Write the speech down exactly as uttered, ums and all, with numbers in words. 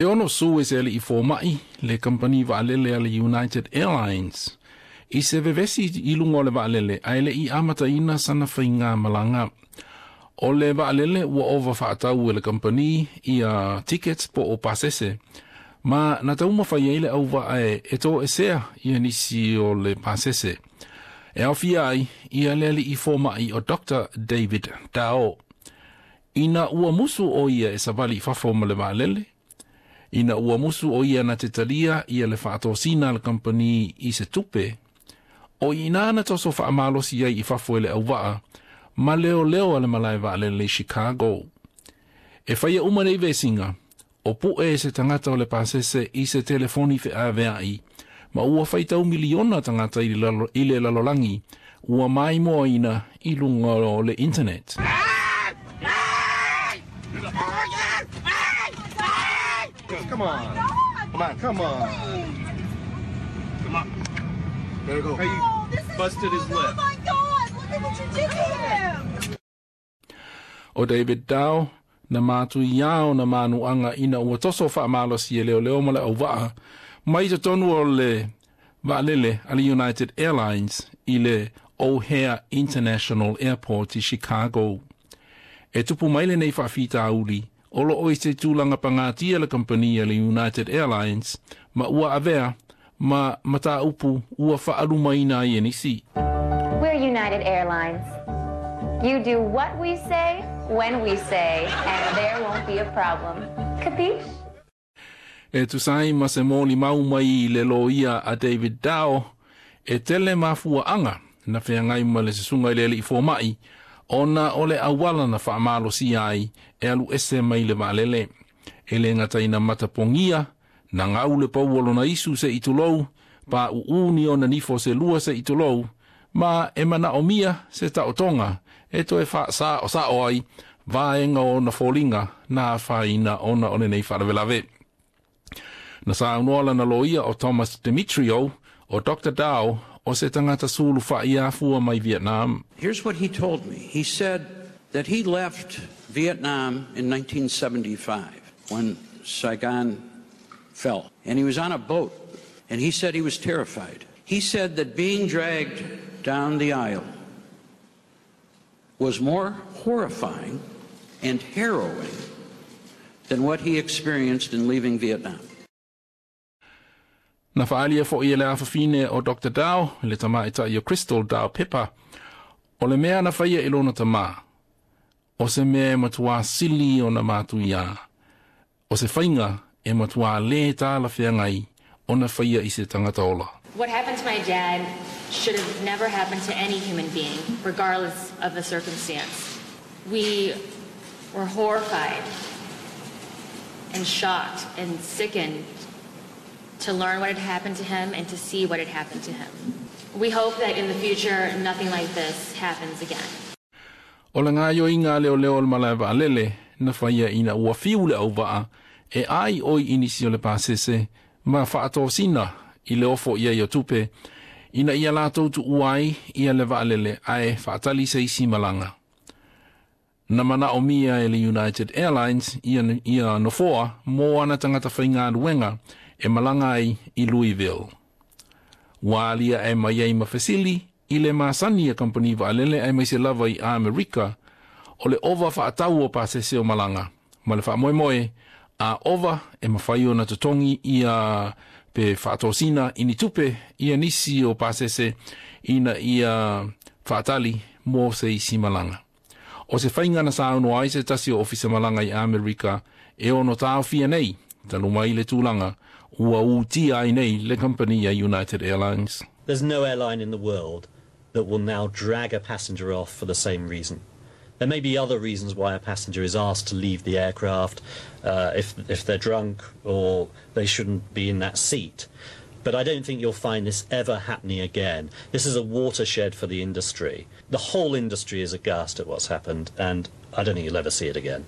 E ono su e se aliʻi fomaʻi le kampani vaalele a le United Airlines i se vevesi i luga o le vaalele ae leʻi amataina sana faigamalaga. O le vaalele ua ova faatau e le kampani ia tickets po o pasese ma na taumafai ai le auvaa e, e toesea ia nisi o le pasese. E aofia ai ia le aliʻi fomaʻi o Doctor David Dao. Ina ua musu o ia e savali i fafo ma le vaalele, ina ua musu o ia na te talia ia le faatosina a le kampani i se tupe, o i ina na toso faamalosi ai i fafo e le auvaa, ma leoleo a le malae vaalele i Chicago. E faia uma nei vesiga, o puʻe e se tagata o le pasese i se telefoni feaveaʻi, ma ua faitau miliona tagata i le lalo, i le lalolagi, ua maimoaina i luga o le internet. Come on. Come on. Come on. Come on. There you go. Hey, you busted his lip. Oh my God, look at what you did to him. O David Dao, na matuiā ona manuaga ina ua toso faamalosi e leoleo ma le auvaa mai totonu o le vaalele a le United Airlines i le O'Hare International Airport i Chicago. E tupu mai lenei faafitauli o loo i se tulaga pagatia le kampani a le United Airlines ma ua avea ma mataupu ua faalumaina ai e nisi. We're United Airlines. You do what we say, when we say, and there won't be a problem. Capiche? E tusa ai ma se molimau mai i le loia a David Dao, e tele mafuaaga na feagai ma le susuga i le aliʻi fomaʻi, ona o le auala na faamalosia ai e alu ese mai le vaalele. E le gata ina matapogia, na gau le pau o lona isu seʻi tulou, paʻuʻū ni ona nifo se lua seʻi tulou, ma e manaʻomia se taotoga e toe faasaʻosaʻo ai vaega o ona foliga na afaina ona o lenei faalavelave. Na saunoa lana loia o Thomas Demetrio o Doctor Dao o se tagata sulufaʻi afua mai Vietnam. Here's what he told me. He said that he left Vietnam in nineteen seventy-five when Saigon fell. And he was on a boat, and he said he was terrified. He said that being dragged down the aisle was more horrifying and harrowing than what he experienced in leaving Vietnam. Na faaalia foʻi e le afafine o Doctor Dao, le tamaʻitaʻi o Crystal Dao Pepa, o le mea na faia i lona tamā, o se mea e matuā sili ona matuiā, o se faiga e matuā lē talafeagai ona faia i se tagata ola. What happened to my dad should have never happened to any human being, regardless of the circumstance. We were horrified and shocked and sickened to learn what had happened to him and to see what had happened to him. We hope that in the future, nothing like this happens again. O le gaoioiga a leoleo o le malae vaalele na faia ina ua fiu le auvaa e ai oi i nisi o le pasese ma faatosina i le ofo ia i o tupe ina ia latou tuua ai ia le vaalele ae faatali se isi malaga. Na manaʻomia e le United Airlines ia, ia nofoa mo ana tagata faigaluega e malaga ai i Louisville. Ua aliaʻe mai ai ma fesili i le masani a kampani vaalele aemaise lava i Amerika o le ova faatau o pasese o malaga ma le faamoemoe a ova e mafai ona totogi ia pe faatosina i ni tupe ia nisi o pasese ina ia faatali mo se isi malaga. O se faiga na saunoa ai se tasi o ofisa malaga i Amerika e ono taofia nei, talu mai le tulaga ua utia ai nei le kampani a United Airlines. There's no airline in the world that will now drag a passenger off for the same reason. There may be other reasons why a passenger is asked to leave the aircraft, uh, if, if they're drunk or they shouldn't be in that seat. But I don't think you'll find this ever happening again. This is a watershed for the industry. The whole industry is aghast at what's happened, and I don't think you'll ever see it again.